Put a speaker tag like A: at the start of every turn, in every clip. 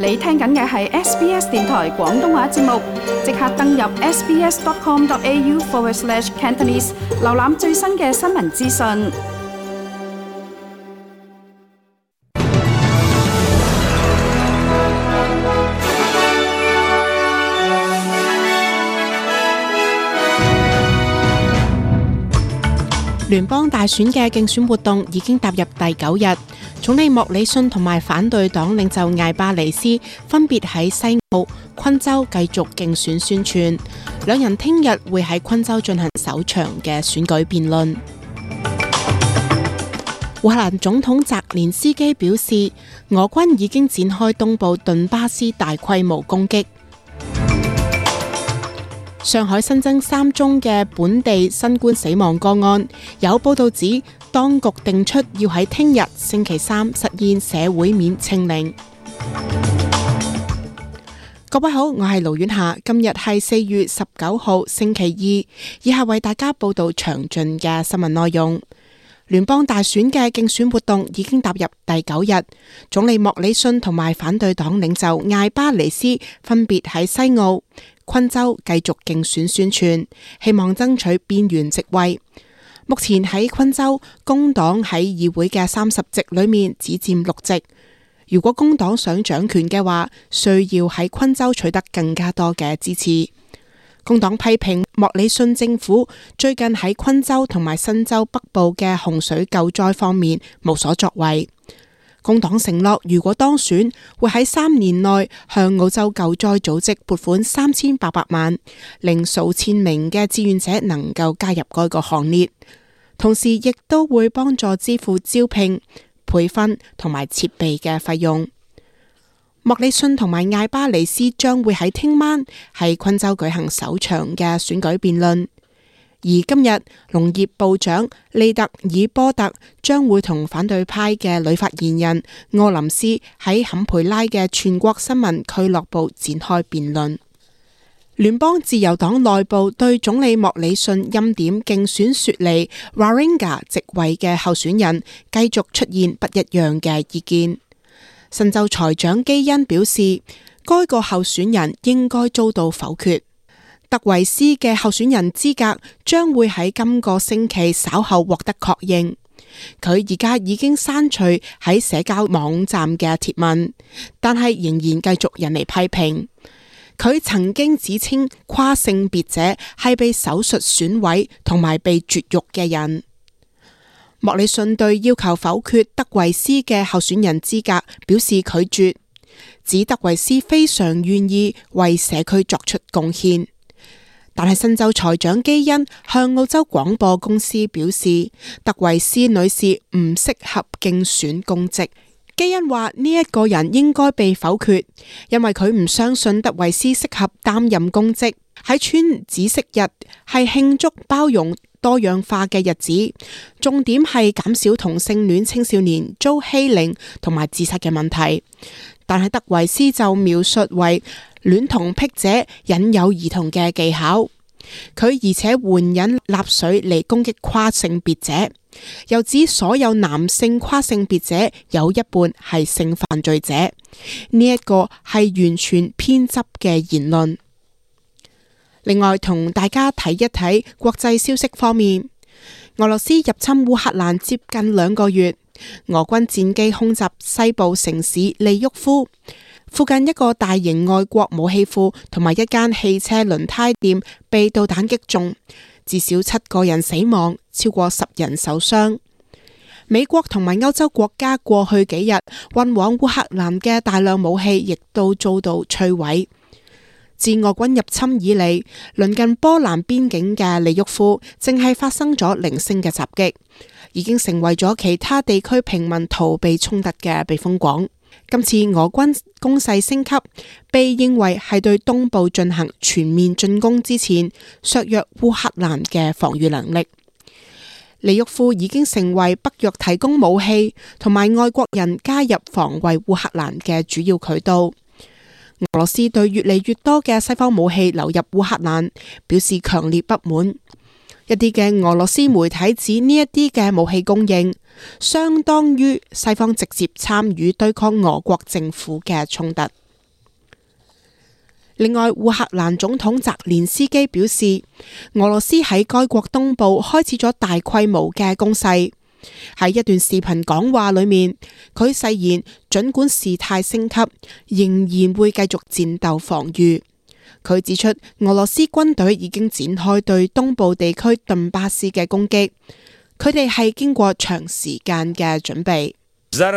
A: 你聽緊嘅係 SBS 電台廣東話節目，即刻登入 sbs.com.au/Cantonese 瀏覽最新嘅新聞資訊。
B: 聯邦大選嘅競選活動已經踏入第9日，總理莫里遜同埋反對黨領袖艾巴尼斯分別喺西澳、昆州繼續競選宣傳，兩人聽日會喺昆州進行首場嘅選舉辯論。烏克蘭總統澤連斯基表示，俄軍已經展開東部頓巴斯大規模攻擊。上海新增3宗嘅本地新冠死亡個案，有報道指當局定出要喺聽日星期3實現社會面清零。各位好，我係盧婉霞，今日係4月19號星期2，以下為大家報道詳盡嘅新聞內容。聯邦大選嘅競選活動已經踏入第9日，總理莫里遜同埋反對黨領袖艾巴尼斯分別喺西澳、昆州繼續競選宣傳，希望爭取邊緣席位。目前喺昆州，工黨喺議會嘅30席裏面只佔6席。如果工黨想掌權嘅話，需要喺昆州取得更加多嘅支持。工黨批評莫里遜政府最近喺昆州同埋新州北部嘅洪水救災方面無所作為。工黨承諾，如果當選，會喺3年內向澳洲救災組織撥款3800萬，令數千名嘅志願者能夠加入該個行列。同時，亦都會幫助支付招聘、培訓同埋設備嘅費用。莫里遜同埋艾巴尼斯將會喺聽晚喺昆州舉行首場嘅選舉辯論。而今日，農業部長利特爾波特將會同反對派嘅女發言人柯林斯喺坎培拉嘅全國新聞俱樂部展開辯論。聯邦自由黨內部對總理莫里遜欽點競選雪梨 Warringah 席位嘅候選人繼續出現不一樣嘅意見。新州財長基恩表示，該個候選人應該遭到否決。特維斯嘅候選人資格將會喺今個星期稍後獲得確認。佢而家已經刪除喺社交網站嘅貼文，但係仍然繼續引嚟批評。佢曾經指稱跨性別者係被手術損毀同埋被絕育嘅人。莫里遜對要求否決德維斯嘅候選人資格表示拒絕，指德維斯非常願意為社區作出貢獻。但係新州財長基恩向澳洲廣播公司表示，德維斯女士唔適合競選公職。基恩話呢一個人應該被否決，因為佢唔相信德維斯適合擔任公職。喺穿紫色日係慶祝包容多樣化嘅日子，重點係減少同性戀青少年遭欺凌同埋自殺嘅問題。但係德維斯就描述為戀童癖者引誘兒童嘅技巧，佢而且援引納粹嚟攻擊跨性別者，又指所有男性跨性別者有一半係性犯罪者，呢一個係完全偏執嘅言論。另外，同大家睇一睇國際消息方面，俄羅斯入侵烏克蘭接近2個月，俄軍戰機空襲西部城市利沃夫，附近一個大型外國武器庫同埋一間汽車輪胎店被導彈擊中，至少7個人死亡，超過10人受傷。美國同埋歐洲國家過去幾日運往烏克蘭嘅大量武器亦都遭到摧毀。自俄軍入侵以嚟，鄰近波蘭邊境嘅利沃夫正係發生咗零星嘅襲擊，已經成為咗其他地區平民逃避衝突嘅避風港。今次俄軍攻勢升級，被認為係對東部進行全面進攻之前削弱烏克蘭嘅防禦能力。利沃夫已經成為北約提供武器同埋外國人加入防衛烏克蘭嘅主要渠道。俄羅斯對越嚟越多嘅西方武器流入烏克蘭表示強烈不滿。一啲嘅俄羅斯媒體指呢一啲嘅武器供應相當於西方直接參與對抗俄國政府嘅衝突。另外，烏克蘭總統澤連斯基表示，俄羅斯喺該國東部開始咗大規模嘅攻勢。喺一段視頻講話裏面，佢誓言儘管事態升級，仍然會繼續戰鬥防禦。佢指出，俄羅斯軍隊已經展開對東部地區頓巴斯嘅攻擊，佢哋係經過長時間嘅準備。
C: Now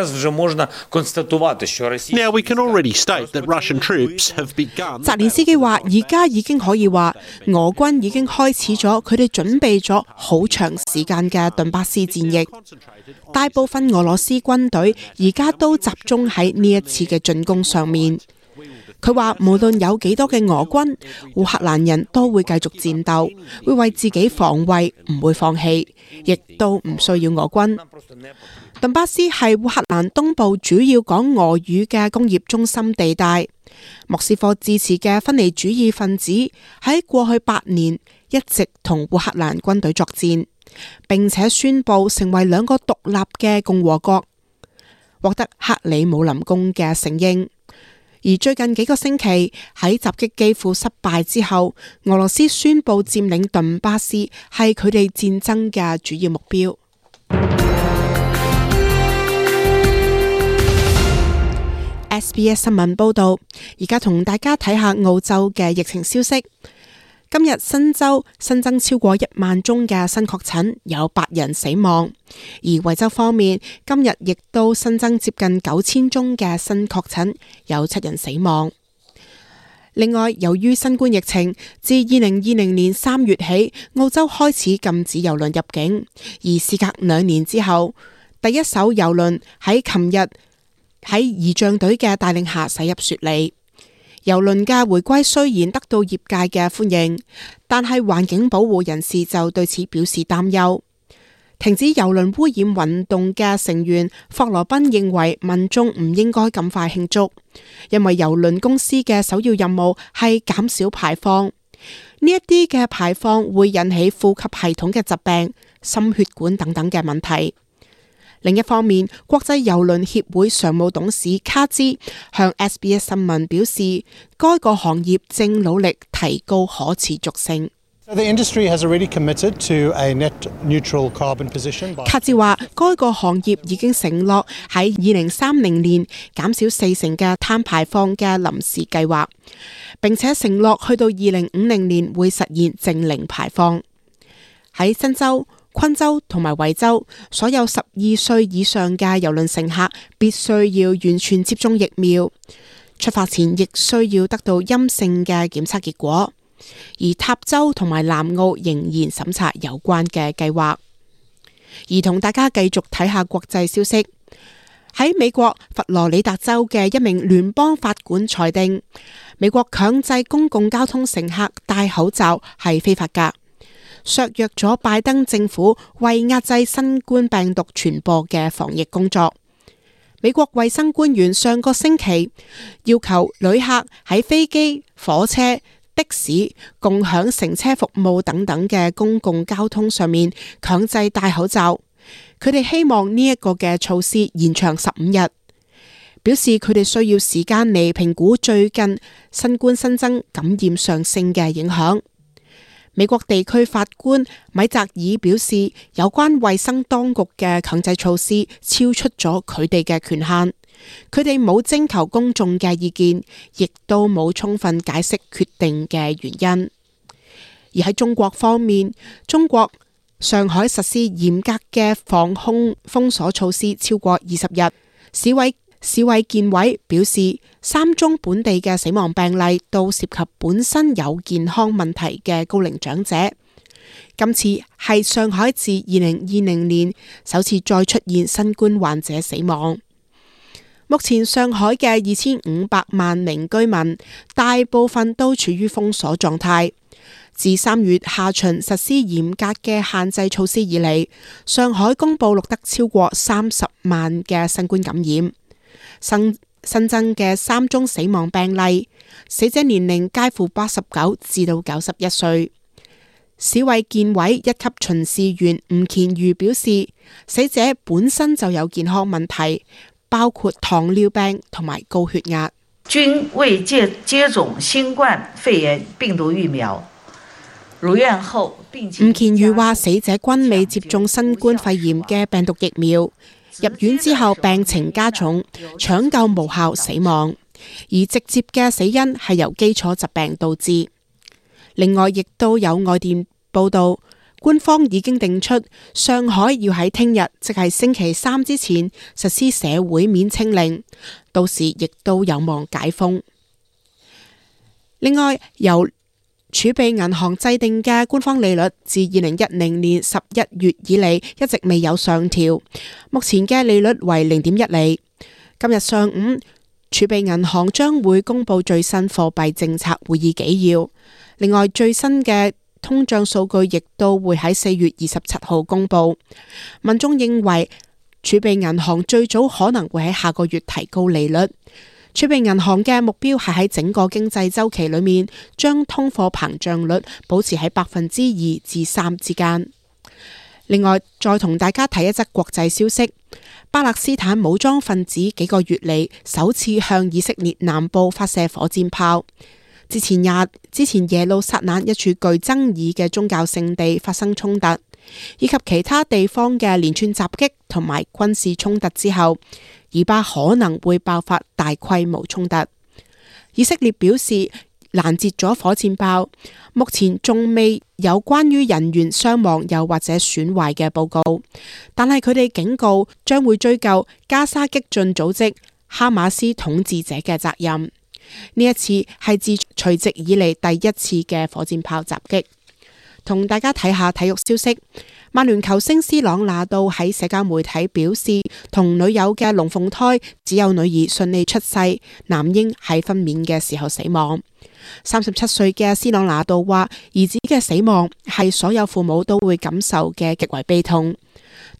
C: we can already state that Russian troops have begun.
B: 澤連斯基話：而家已經可以話，俄軍已經開始咗佢哋準備咗好長時間嘅頓巴斯戰役。大部分俄羅斯軍隊而家都集中喺呢一次嘅進攻上面。佢話無論有幾多嘅俄軍，烏克蘭人都會繼續戰鬥，會為自己防衛，唔會放棄，亦都唔需要俄軍。頓巴斯係烏克蘭東部主要講俄語嘅工業中心地帶。莫斯科支持嘅分離主義分子喺過去8年一直同烏克蘭軍隊作戰，並且宣布成為2個獨立嘅共和國，獲得克里姆林宮嘅承認。而最近幾個星期喺襲擊基輔失敗之後，俄羅斯宣布佔領頓巴斯係佢哋戰爭嘅主要目標。SBS 新聞報道，而家同大家睇下澳洲嘅疫情消息。今日新州新增超過1萬宗嘅新確診，有8人死亡。而維州方面，今日亦都新增接近9000宗嘅新確診，有7人死亡。另外，由於新冠疫情，自2020年3月起，澳洲開始禁止郵輪入境，而事隔2年之後，第一艘郵輪喺琴日喺儀仗隊嘅帶領下駛入雪梨。郵輪嘅回歸雖然得到業界嘅歡迎，但係環境保護人士就對此表示擔憂。停止郵輪污染運動嘅成員霍羅賓認為民眾唔應該咁快慶祝，因為郵輪公司嘅首要任務係減少排放。呢一啲嘅排放會引起呼吸系統嘅疾病、心血管等等嘅問題。另一方面，國際郵輪協會常務董事卡茲向 SBS 新聞表示，該個行業正努力提高可持續性。卡茲話，該個行業已經承諾喺2030年減少40%嘅碳排放嘅臨時計劃，並且承諾去到2050年會實現淨零排放。喺新州、昆州同埋維州，所有12歲以上嘅郵輪乘客必須要完全接種疫苗，出發前亦需要得到陰性嘅檢測結果。而塔州同埋南澳仍然審查有關嘅計劃。而同大家繼續睇下國際消息，喺美國佛羅里達州嘅一名聯邦法官裁定，美國強制公共交通乘客戴口罩係非法㗎，削弱咗拜登政府為壓制新冠病毒傳播嘅防疫工作。美國衛生官員上個星期要求旅客喺飛機、火車、的士、共享乘車服務等等嘅公共交通上面強制戴口罩。佢哋希望呢一個嘅措施延長15日，表示佢哋需要時間嚟評估最近新冠新增感染上升嘅影響。美國地區法官米澤爾表示，有關衛生當局嘅強制措施超出咗佢哋嘅權限，佢哋冇徵求公眾嘅意見，亦都冇充分解釋決定嘅原因。而喺中國方面，中國上海實施嚴格嘅防控封鎖措施超過20日，市衛健委表示，3宗本地嘅死亡病例都涉及本身有健康問題嘅高齡長者。今次係上海自2020年首次再出現新冠患者死亡。目前上海嘅2500萬名居民大部分都處於封鎖狀態。自3月下旬實施嚴格嘅限制措施以嚟，上海公布錄得超過30萬嘅新冠感染。新增嘅3宗死亡病例，死者年齡介乎89至到91歲。市衛健委一級巡視員吳乾渝表示，死者本身就有健康問題，包括糖尿病同埋高血壓。
D: 均未接種新冠肺炎病毒疫苗，入院後病情。
B: 吳乾渝話：死者均未接種新冠肺炎嘅病毒疫苗，入院之後病情加重，搶救無效死亡，而直接嘅死因係由基礎疾病導致。另外，亦都有外電報道，官方已經定出上海要喺聽日，即係星期三之前實施社會面清零，到時亦都有望解封。另外，由儲備銀行制定嘅官方利率自2010年11月以嚟一直未有上調，目前嘅利率為0.1厘。今日上午，儲備銀行將會公布最新貨幣政策會議紀要。另外，最新嘅通脹數據亦都會喺4月27號公布。民眾認為儲備銀行最早可能會喺下個月提高利率。儲備銀行嘅目標係喺整個經濟週期裏面，將通貨膨脹率保持喺2%至3%之間。另外，再同大家睇一則國際消息：巴勒斯坦武裝分子幾個月嚟首次向以色列南部發射火箭炮。之前耶路撒冷一處具爭議嘅宗教聖地發生衝突，以及其他地方嘅連串襲擊同埋軍事衝突之後，以巴可能會爆發大規模衝突。以色列表示攔截咗火箭炮，目前仲未有關於人員傷亡又或者損壞嘅報告，但係佢哋警告將會追究加沙激進組織哈馬斯統治者嘅責任。呢一次係自除夕以嚟第一次嘅火箭炮襲擊。同大家睇下體育消息，曼聯球星斯朗拿度喺社交媒體表示，同女友嘅龍鳳胎只有女兒順利出世，男嬰喺分娩嘅時候死亡。37歲嘅斯朗拿度話，兒子嘅死亡係所有父母都會感受嘅極為悲痛。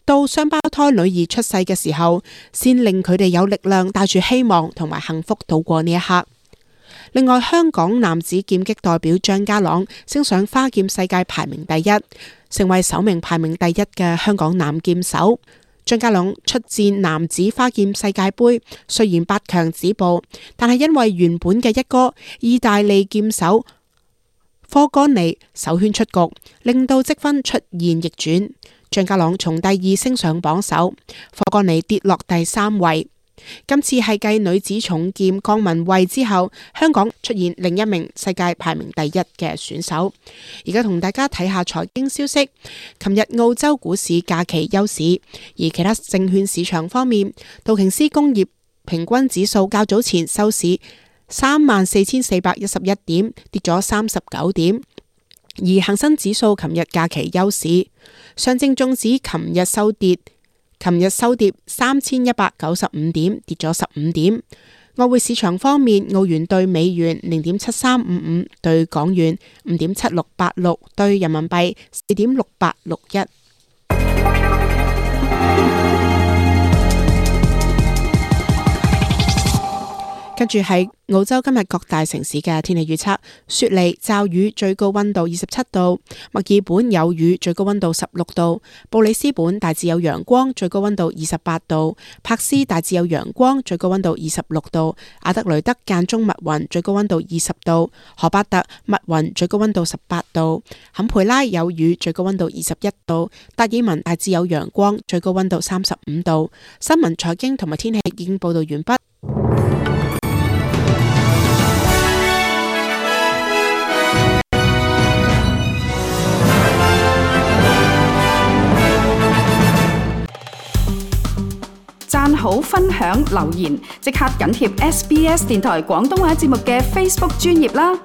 B: 到雙胞胎女兒出世嘅時候，先令佢哋有力量帶住希望同埋幸福度過呢一刻。另外，香港男子劍擊代表張家朗升上花劍世界排名第一，成為首名排名第一嘅香港男劍手。張家朗出戰男子花劍世界盃，雖然8強止步，但係因為原本嘅一哥意大利劍手科干尼首圈出局，令到積分出現逆轉。張家朗從第2升上榜首，科干尼跌落第3位。今次係繼女子重劍江文蔚之後，香港出現另一名世界排名第1嘅選手。而家同大家睇下財經消息。琴日澳洲股市假期休市，而其他證券市場方面，道瓊斯工業平均指數較早前收市34,411點，跌咗39點。而恒生指數琴日假期休市，上證綜指琴日收跌3195點，跌咗15點。外匯市場方面，澳元兌美元0.7355，兌港元5.7686，兌人民幣4.6861。跟住係澳洲今日各大城市嘅天氣預測：雪梨驟雨，最高溫度27度；墨爾本有雨，最高溫度16度；布里斯本大致有陽光，最高溫度28度；柏斯大致有陽光，最高溫度26度；阿德雷德間中密雲，最高溫度20度；荷巴特密雲，最高溫度18度；坎培拉有雨，最高溫度21度；達爾文大致有陽光，最高溫度35度。新聞、財經同埋天氣已經報道完畢。
A: 讚好、分享、留言，即刻緊貼SBS 電台廣東話節目嘅 Facebook 專頁啦！